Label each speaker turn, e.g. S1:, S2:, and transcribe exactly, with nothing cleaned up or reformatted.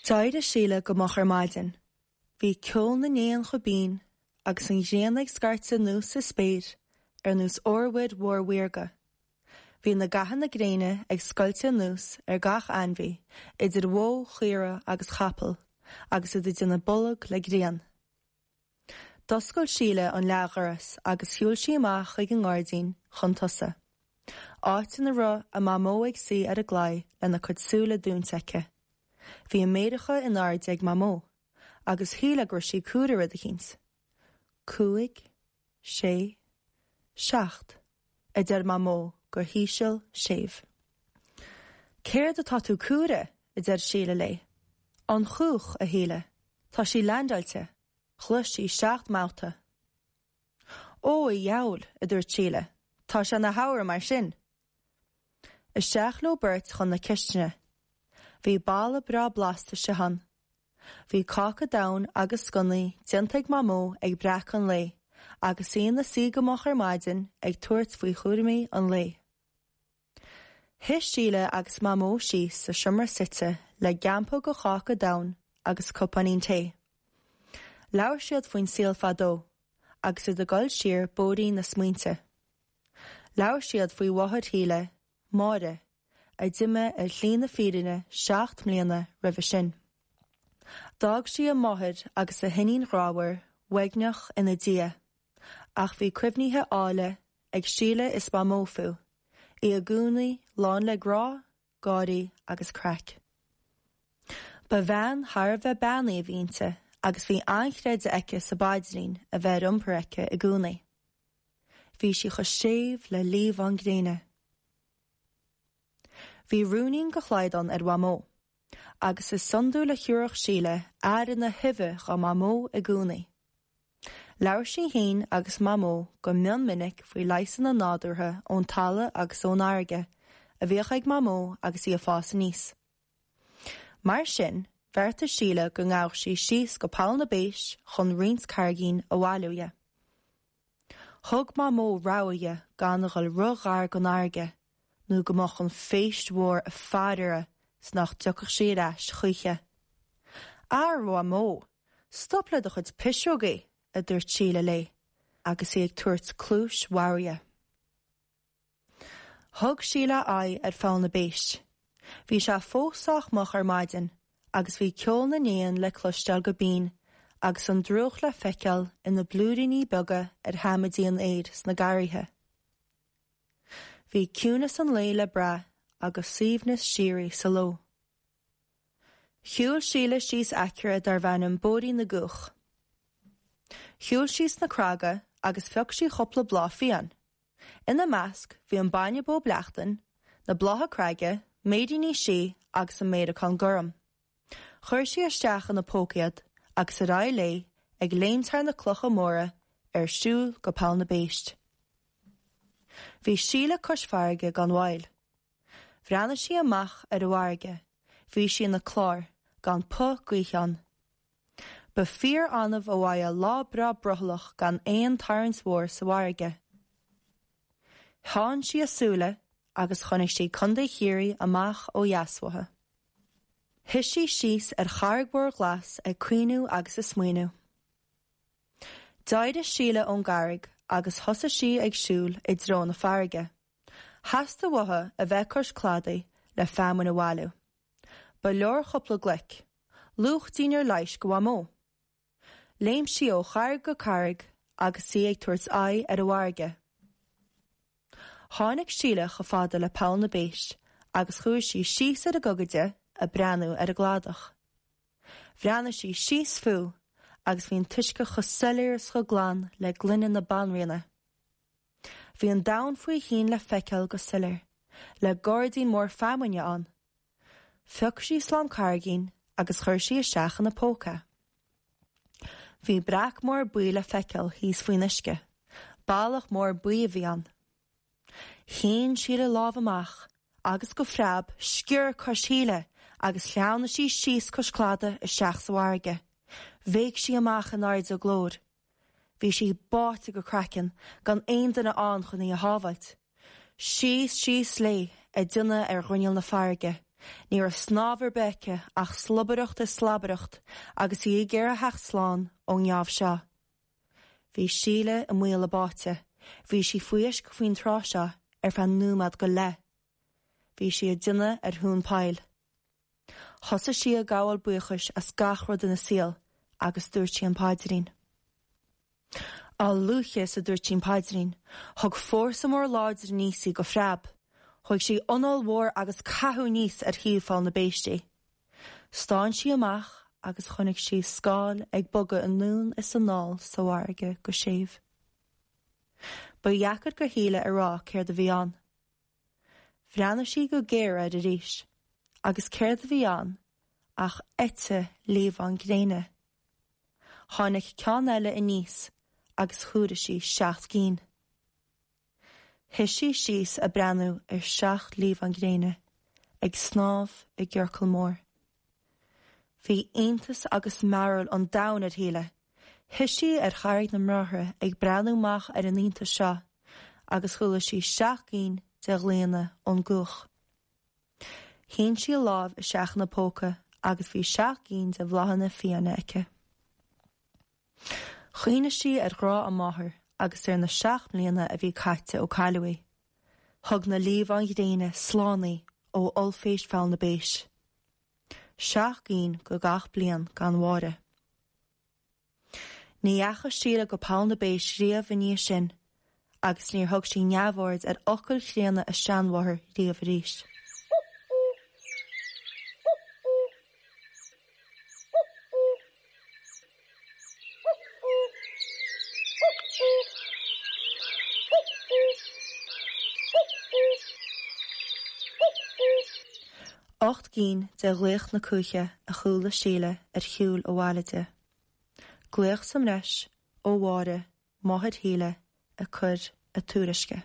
S1: D'éirigh Síle go moch ar maidin. Bhí ceol na n-éan chomh binn agus an ghrian ag scairteadh anuas sa spéir ar nós urmhuir mhór mhaorga. Bhí na gathanna gréine ag scoilteadh anuas ar gach ainmhí, idir bhó, chaora agus chapall, agus iad ag déanamh bolg le grian. D'oscail Síle an leathdhoras agus shiúil sí amach chuig an ngairdín chun tosaigh. Áit ina raibh a mamó ag suí ar an gclaí lena cuid súile dúnta aici. Bhí a méaracha in airde ag Mamó, agus shíl go raibh sí ag comhaireamh rud eicínt. Cúig, sé, seacht, a deir Mamó go híseal séimh. Céard atá tú ag comhaireamh, a deir Síle léi. An chuach, a Shíle, tá sí leaindeáilte, chlois sí seacht mbabhta. Ó, a dheabhail, a dúirt Síle, tá sé ina shamhradh mar sin. Isteach leo beirt chun na cistine. Bhí boladh breá blasta istigh ann. Bhí cáca donn agus sconnaí déanta ag Mamó ag breacadh an lae, agus í ina suí go moch ar maidin ag tabhairt faoi chúraimí an lae. Shuigh Síle agus Mamó síos sa seomra suite le gampóg de cháca donn agus cupáinín tae. Labhair siad faoin saol fadó, agus iad ag dul siar bóithrín na smaointe. Labhair siad faoi mháthair Shíle, Máire, a d'imigh ar shlí na fírinne seacht mbliana roimhe sin. D'fhág sí a máthair agus a hiníon ghrámhar, uaigneach ina diaidh, ach bhí cuimhnithe áille ag Síle is Mamó fúithi, í i gcónaí lán le grá, gáirí agus craic. Ba bhean thar a bheith beannaithe a bhí inti agus bhí an-chreideamh aici sa bpaidrín a bheith ar iompar aici i gcónaí. Bhí sí chomh séimh le liamhán gréine. Bhí rúinín de shlaghdán ar Mhamó, agus is iondúil a thiúrfadh Síle aire na huibhe dá Mamó i gcónaí. Labhair sí féin agus Mamó go mion minic faoi leigheasanna nádúrtha ón talamh agus ón fharraige a bhíodh ag Mamó agus í ag fás aníos. Mar sin, bheartaigh Síle go ngabhadh sí síos go Poll na bPéist chun roinnt carraigín a bhailiú dhi. Thug Mamó rabhadh di gan a dhul ró-ghar don fharraige, nó go mbeadh an phéist mhór ag faire uirthi 's nach dtiocfadh sí ar ais choíche. A Mhamó, stop le do chuid pisreogaí, a dúirt Síle léi, agus í ag tabhairt cluais bhodhar di. Thug Síle aghaidh ar Pholl na bPéist. Bhí sé fós sách moch ar maidin, agus bhí ceol na n-éan le cloisteáil go binn, agus an drúcht le feiceáil ina blúiríní beaga ar sheamaidí an fhéir sna garraithe. Bhí ciúnas an lae le brath agus suaimhneas síoraí sa ló. Shiúil Síle síos aicearra darbh ainm Bóithrín na gCuach. Shiúil sí sna craga agus phioc sí cúpla bláth fiáin. Ina measc bhí an bainne bó bleachtain, na blátha creige, méiríní sí agus an méaracán gorm. Chuir sí isteach ina póca iad agus ar aghaidh léi ag léimt thar na clocha móra ar siúl go Poll na bPéist. Bhí Síle cois farraige gan mhoill. Bhreathnaigh sí amach ar an bhfarraige, bhí sí ina clár, gan puth gaoithe ann. Ba fíor-annamh a bhfaigheá lá breá brothallach gan aon tarraingt mhór sa bhfarraige. Theann sí a súile agus chonaic sí Contae Chiarraí amach ó dheas uaithi. Shuigh sí síos ar charraig mhór ghlas ag caoineadh agus ag smaoineamh. D'éirigh Síle ón gcarraig agus thosaigh sí ag siúl i dtreo na farraige. Theastaigh uaithi a bheith cois cladaigh le feamainn a bhailiú. Ba leor cúpla gloic, luach dínnéar leighis do Mhamó. Léim sí ó charraig go carraig agus í ag tabhairt aghaidh ar an bhfarraige. Tháinig Síle chomh fada le Poll na bPéist agus chuaigh sí síos ar a gogaide ag breathnú ar an gcladach. Bhreathnaigh sí síos fúithi agus bhí an t-uisce chomh soiléir is chomh glan le gloine na banríona. Bhí an domhan faoi thoinn le feiceáil go soiléir, le gairdín mór feamainne ann. Phioc sí slám carraigín agus chuir sí isteach ina póca. Bhí breac mór buí le feiceáil thíos faoin uisce, ballach mór buí a bhí ann. Shín Síle a lámh amach agus go phreab sciorr cois Shíle agus shleamhnaigh sí síos cois cladaigh isteach sa bhfarraige. Bhéic sí amach in airde a glóir. Bhí sí báite go craiceann gan aon duine ann chun í a shábháilt. Síos síos léi ag déanamh ar ghrinneall na farraige, Ní raibh snámh ar bith aici ach slobaireacht is slabaireacht agus í ag iarraidh theacht slán ón ngeábh seo. Bhí Síle i mbaol a báite, bhí sí faoi uisce faoin tráth seo ar feadh nóiméad go leith. Bhí sí ag déanamh ar thóin poill. Thosaigh sí ag gabháil buíochais as gach rud ina saol agus dúirt sí an paidrín. A luaithe is a dúirt sí an paidrín, thug fórsa mór láidir aníos í go preab. Thóg sí anáil mhór agus caitheadh aníos ar thaobh Pholl na Béist í. Stán sí amach agus chonaic sí scáil ag bogadh anonn is anall sa bhfarraige go séimh. Ba dheacair do Shíle a rá céard a bhí ann. Bhreathnaigh sí go géar air arís, agus céard a bhí ann ach eite liamhán gréine. Tháinig ceann eile aníos agus chomhair sí seacht gcinn. Shuigh sí síos ag breathnú ar seacht liamhán gréine, ag snámh i gciorcal mór. Bhí iontas agus mearbhall an domhain ar Shíle. Shuigh sí ar Charraig na mBráithre ag breathnú amach ar an iontas seo, agus chuala sí seacht gcinn de ghlaonna ón gcuach. Shín sí a lámh isteach ina póca agus bhí seacht gcinn de bhláthanna fiáine aici. Chuimhnigh sí ar ghrá a máthar agus ar na seacht mbliana a bhí caite ó cailleadh í. Thug na liamháin ghréine slán í ó ollphéist Pholl na Béist. Seacht gcinn go gach bliain gan Mháire. Ní dheachaigh Síle go Poll na bPéist riamh i ndiaidh sin, agus níor thug sí neamhaird ar fhocail chríonna a seanmháthar riamh arís. Ocht gcinn de ghlaoch na cuaiche a chuala Síle ar shiúl abhaile di. Glaoch sa mbreis ó Mháire, máthair Shíle, ag cur a tuairisce.